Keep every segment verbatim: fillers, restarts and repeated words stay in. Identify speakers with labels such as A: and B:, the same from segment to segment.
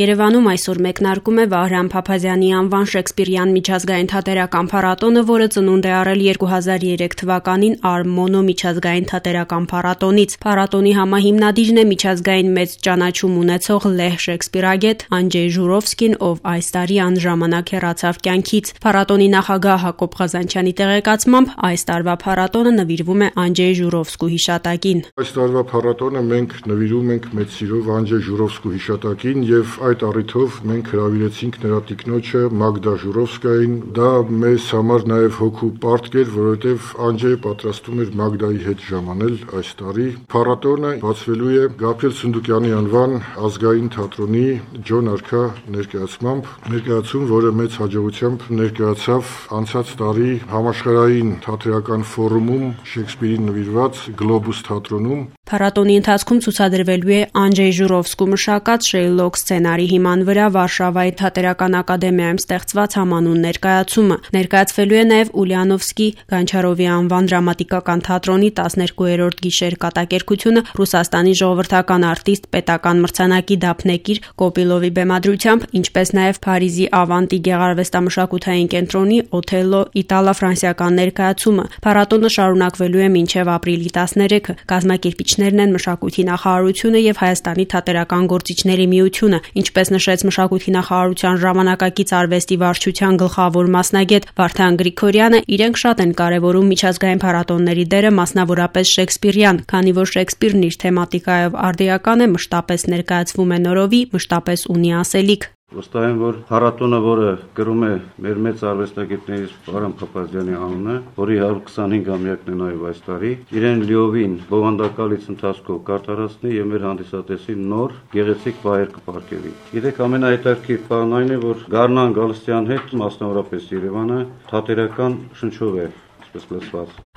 A: Երևանում այսօր մեկնարկում է Վահրամ Փափազյանի անվան Շեքսպիրյան միջազգային թատերական փառատոնը, որը ծնունդ է առել երկու հազար երեք թվականին Արմոնո միջազգային թատերական փառատոնից։ Փառատոնի համահիմնադիրն է միջազգային մեծ ճանաչում ունեցող լեհ շեքսպիրագետ Անջեյ Ժուրովսկին, ով այս տարի անժամանակ հեռացավ կյանքից։ Փառատոնի նախագահ Հակոբ Ղազանչյանի տեղեկացմամբ այս տարվա փառատոնը նվիրվում է Անջեյ Ժուրովսկու հիշատակին։
B: Այս տարվա փառատոնը մենք նվիրում ենք մեծ սիրով Անջեյ Ժուրովսկու հիշատակին եւ այդ առիթով մենք հրավիրեցինք նրա տիկնոջը Մագդա Ժուրովսկային։ Դա մեզ համար նաև հոգու պարտք էր, որովհետև Անջեյը պատրաստում էր Մագդայի հետ ժամանել այս տարի։ Փառատոնը բացվելու է Գաբրիել Սունդուկյանի անվան ազգային թատրոնի Ջոն Արքա ներկայացմամբ, ներկայացում, որը մեծ հաջողությամբ ներկայացավ անցած տարի համաշխարհային թատերական ֆորումում Շեքսպիրին նվիրված Գլոբուս թատրոնում։
A: Փառատոնի ընթացքում ցուցադրվելու է Անջեյ Ժուրովսկու մշակած Շեյլոկ սցենարի հիման վրա Վարշավայի թատերական ակադեմիայում ստեղծված համանուն ներկայացումը։ Ներկայացվելու է նաև Ուլիանովսկի Գանչարովի անվան դրամատիկական թատրոնի տասներկուերորդ գիշեր կատակերգությունը Ռուսաստանի ժողովրդական արտիստ պետական մրցանակի դափնեկիր Կոպիլովի բեմադրությամբ, ինչպես նաև Փարիզի Ավանտի գեղարվեստամշակութային կենտրոնի Օթելլո իտալա-ֆրանսիական ներկայացումը։ Փառատոնը շարունակվելու է մինչև ապրիլի տասներեքը։ Կազմակերպիչներն են Մշակույթի նախարարությունը եւ Հայաստանի թատերական գործիչների միությունը, ինչպես նշեց Մշակույթի նախարարության ժամանակակից արվեստի վարչության գլխավոր մասնագետ Վարդան Գրիգորյանը, իրենք շատ են կարևորում միջազգային փառատոնների դերը, մասնավորապես Շեքսպիրյան, քանի որ Շեքսպիրն իր թեմատիկայով արդիական է, մշտապես ներկայացվում է նորովի, մշտապես ունի ասելիք։
C: Վստահ եմ, որ փառատոնը, որը կրում է մեր մեծ արվեստագետներից Վահրամ Փափազյանի անունը, որի հարյուր քսանհինգամյակն է նաև այս տարի, իրեն լիովին բովանդակալից ընթացքով կարտարացնի եւ մեր հանդիսատեսին նոր գեղեցիկ վայր կպարգևի։ Գիտեք, ամենահետաքրքիր բանն այն է, որ Գառնան Գալստյան հետ, մասնավորապես Երևանը, թատերական շնչով է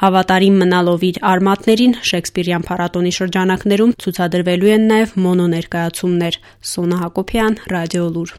A: Հավատարիմ մնալով իր արմատներին, Շեքսպիրյան փառատոնի շրջանակներում ցուցադրվելու են նաև մոնո ներկայացումներ։ Սոնա Հակոբյան, Ռադիոլուր։